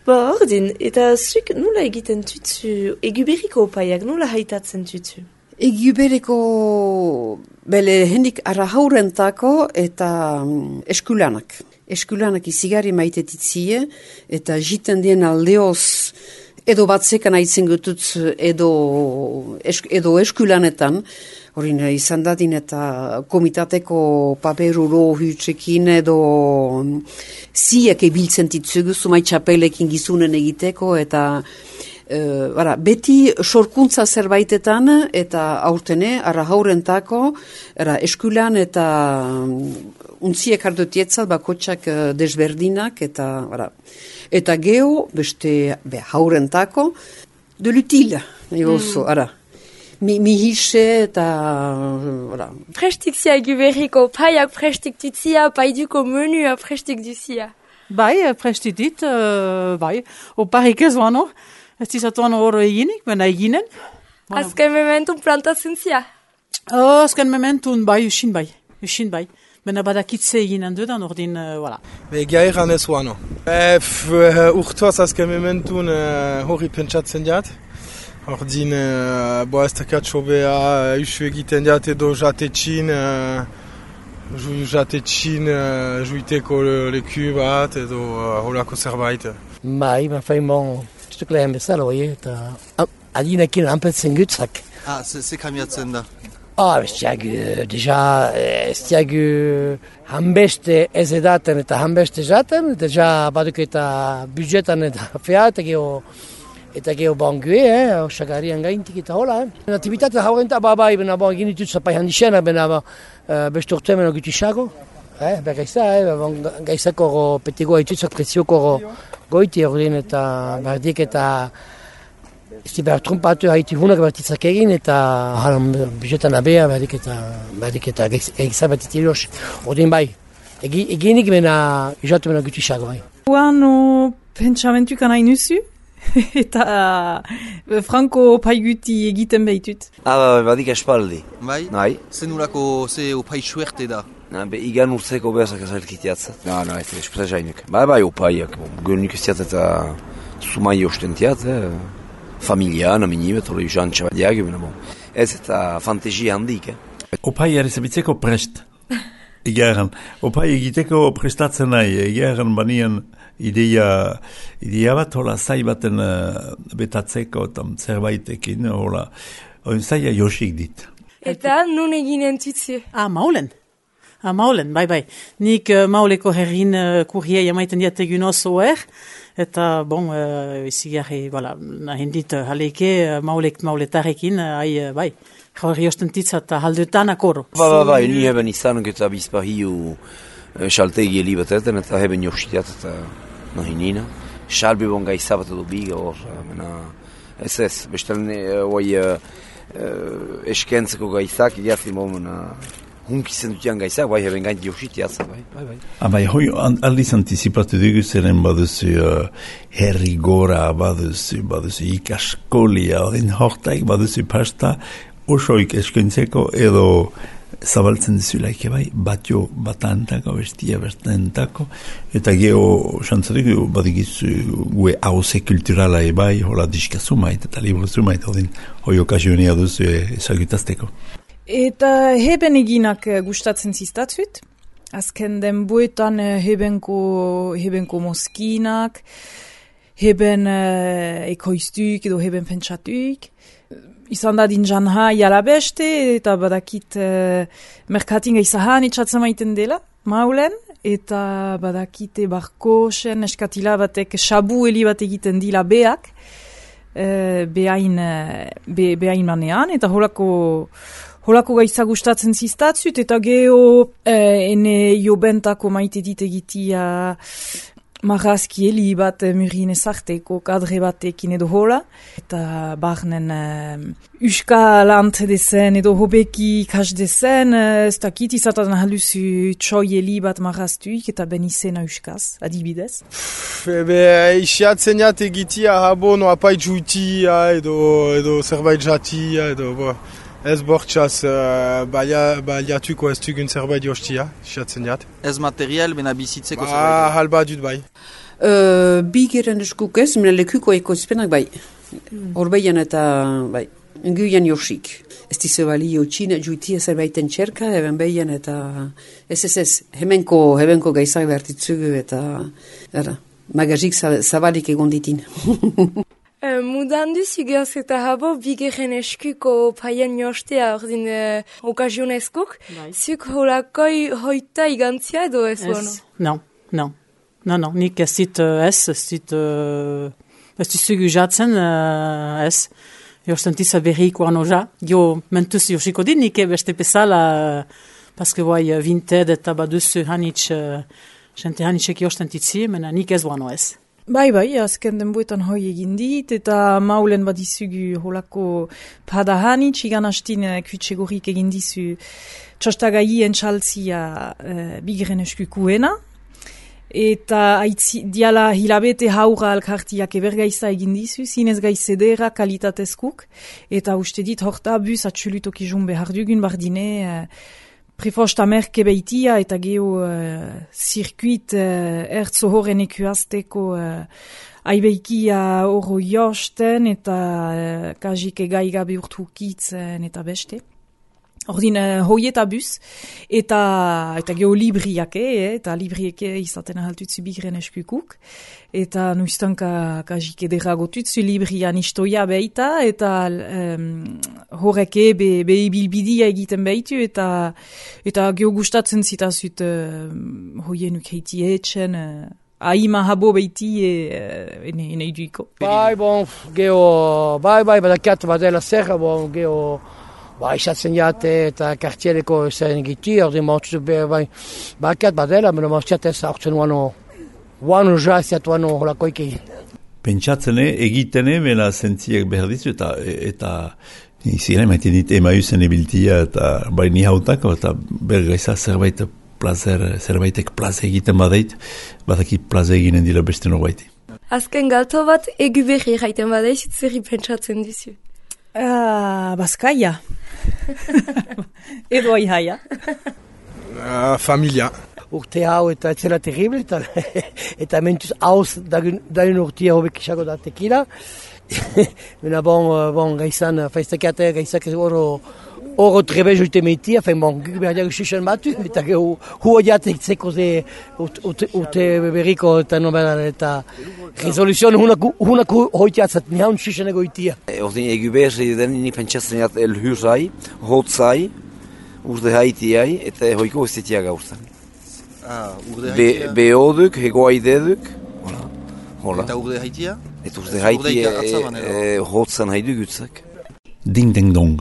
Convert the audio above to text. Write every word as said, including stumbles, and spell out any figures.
Ba, ordin, eta zuk nola egiten tutu, eguberriko opaiak nola haitatzen tutu? Eguberriko bele hendik arrahaurentako eta um, eskulanak. Eskulanak izigari maitetitzie eta jiten dien aldeoz edo batzekan aitzen gutut edo, esk, edo eskulanetan. Horin izan dadin eta komitateko paperuro hutsekin edo ziek ebiltzen ditzugu, sumai txapelekin gizunen egiteko eta uh, bara, beti sorkuntza zerbaitetan eta aurtene, arra haurentako, era, eskulan eta um, untziek hartutietzat bakotxak uh, desberdinak eta, bara, eta geho, beste be, haurentako, de l'utile, nahi oso, mm. ara. Mi, mi hise eta... Voilà. Prestik zia eguberriko paiak prestik tutzia, paiduko menua prestik duzia. Bai, prestik dit, uh, bai. Oparik ez wano. Ez dizatuan hor eginik, bena eginen. Azken mementun plantatzen zia? Oh, azken mementun, bai, usin bai. Usin bai. Bena badakitze eginen dudan, ordin, uh, voilà. Ega egan ez wano. E, urtuaz azken mementun uh, hori pentsatzen jat. Ordin, uh, bo ez dakat sobea, uh, usu egiten diat edo jatetxin, uh, ju, jatetxin uh, juiteko le, leku bat edo uh, holako zerbait. Bai, ma fain bon, zuk lehen bezala, oi, eta adinekin anpetzen gutzak. Ah, ze kamiatzen da? Ah, bestiak, deja, bestiak hanbeste ez edaten eta hanbeste jaten, deja baduk eta budgetan eta fea, eta geho, eta geho bangue, eh, osagarian gaintik eta hola, eh. Natibitatea haurenta, ba, bai, bena, bon, egin ditut zapai handixena, bena, ba, uh, beste urte meno gutisago, eh, ba, gaizta, eh, ba, gaizako petigoa itutzak prezioko goiti ordin eta bardik eta ez di behar trumpatu haiti hunak bertitzak egin eta halan bizetan abea bardik eta bardik eta gaizak batitilos, ordin bai, eginik bena, izatu meno gutisago, bai. Guano pentsamentuk anai nuzu? Eta uh, Franco opaiguti egiten behitut. Ah, badik espaldi. Bai? Bai. Zenurako ze opai suerte da? Na, be, igan urtzeko behazak ezalkitiatzat. Na, na, ez espeta jainek. Bai, bai, opaiak. Gönnik ez tiat eta sumai ostentiat, eh? Familia, naminibet, hori usan txabadiak, bon. Ez eta fantesia handik, eh? Opai arizabitzeko prest. Egeran, opai egiteko prestatzen nahi, egeran banian ideia, ideia bat, hola, zai baten uh, betatzeko eta zerbaitekin, hola, oin zaila josik dit. Eta nun eginen tutzi? Ah, maulen. Ah, maulen, bai, bai. Nik uh, mauleko herrin uh, kurriei amaiten diategun oso er, eta, bon, uh, izigarri, voilà, nahin dit, uh, haleke, uh, maulek mauletarekin, uh, ai, uh, bai. Horri osten titza eta haldutan akoro. Ba, ba, ba, ni heben izan eta bizpa hiu xaltegi elibatetan eta heben jositiat eta nahi nina. Xalbi bon gaizabat edo biga hor, mena, ez ez, bestelen hoi eskentzeko gaizak, idiazi momena, hunkizen dutian gaizak, bai heben gaint jositiat, bai, bai, bai. Ah, bai, hoi aldiz antizipatu dugu zeren baduzu uh, herri gora, baduzu, baduzu ikaskolia, odin hortaik, baduzu pasta, osoik eskentzeko edo zabaltzen dizulaik bai, batio batantako, bestia bertantako, eta geho xantzatik badigizu gue hauze kulturala bai, hola diskazu mait, eta libruzu mait, odin hoi okazionia duzu ezagutazteko. Eta heben eginak gustatzen ziztatzut, azken den buetan hebenko, hebenko moskinak, heben uh, ekoiztuk edo heben pentsatuk, izan da din janha jala beste, eta badakit uh, merkatin gaizahan itxatzen maiten dela, maulen, eta badakite barkosen eskatila batek sabu heli bat egiten dila beak, uh, behain, be, behain manean, eta holako, holako gaiza gustatzen ziztatzut, eta geho uh, ene jobentako maite dit egitia marrazki heli bat murin ezarteko kadre batekin edo hola, eta barnen uh, uska lant dezen edo hobeki kas dezen, uh, ez dakit izaten haluzu txoi heli bat marraztuik eta ben izena uskaz, adibidez. Ebe, isiatzen jat egitia habo no apait juitia edo, edo zerbait jatia edo, bo. Ez bortxaz, uh, baliatuko ez tugun zerbait jostia, isiatzen jat. Ez material, bena bizitzeko ba, zerbait? Halba dut bai. Uh, Bigeren eskuk ez, mena lekuko ekoizpenak bai. Horbeian eta bai, enguian josik. Ez dize balio txina juitia zerbaiten txerka, eben behian eta ez ez ez, hemenko, hemenko gaizak behartitzugu eta era, magazik zabalik egon ditin. Uh, mudan duzu gehoz eta habo bigeren eskuko paien jostea ordin uh, okazionezkok. Zuk holakoi hoita igantzia edo ez bono? Non, non. Non, non, nik ez dit uh, ez, ez dit uh, ez dizugu jatzen uh, ez. Josten tiza berriko anoja. Jo mentuz josiko dit nik beste pesala uh, paske guai uh, vinted eta baduzu hanitz uh, jente hanitzek josten titzi, mena nik ez boano ez. Bai, bai, azken denboetan hoi egin dit, eta maulen badizugu holako padahanitz, igan hastin uh, kuitsegorik egin dizu txostagai entxaltzia uh, bigeren eskukuena, eta aitzi, diala hilabete haura alkartiak ebergaiza egin dizu, zinez gaizedera kalitatezkuk, eta uste dit horta bus atxulutok izun behar dugun bardine, uh, Prefosta merke beitia eta geho uh, zirkuit uh, ertzo horren ekuazteko uh, aibeikia oro josten eta uh, kajik egaigabe urtukitzen eta beste. Ordin uh, hoieta bus eta, eta geho libriake, eh, eta librieke izaten ahaltutzu bigren eskukuk. Eta nuiztanka kajik edera-gotutzu librian istoia beita eta um, horreke be, be ibilbidia egiten behitu eta eta geho gustatzen zitazut uh, hoienuk heiti etxen uh, aima habo behiti uh, ene, ene iduiko. Bai, bon, geho, bai, bai, badakat badela zerra, bon, geho Ba, isatzen jate eta kartiereko zeren egiti, ordin mautzu behar, bai, bakat badela, mena mautziatez aurtzen uano, uano jaziat uano holakoik egin. Pentsatzene, egitene, mena zentziek behar dizu, eta, eta izien emaiten dit emaiuzen ebiltia, eta bai ni hautako, eta bergaiza zerbait plazer, zerbaitek plaze egiten badait, badaki plaze eginen dira beste norbaiti. Azken galto bat, egu berri jaiten badaiz, zerri pentsatzen dizu. Uh, Baskaia. Edo aihaia. Uh, familia. Urte hau eta etzela terrible, eta, eta mentuz hauz dagun urtia hobek isago da tekila. Mena bon, bon gaizan, faiztakate gaizak oro oro trebez uite meitia, fein bon, guk behar diago xixen batu, eta hu hua jatek zeko ze urte berriko eta nobelan, eta resoluzion hunaku hoitiatzat, ni haun xixen egoitia. Ordin egu behar den, ni pentsatzen jat elhurzai, hotzai, urde haitiai, eta hoiko estetia gauztan. Ah, urde haitia? Behoduk, hegoaideduk, hola. Hola. Eta urde haitia? Eta urde haitia hotzan haidu gutzak. Ding ding dong.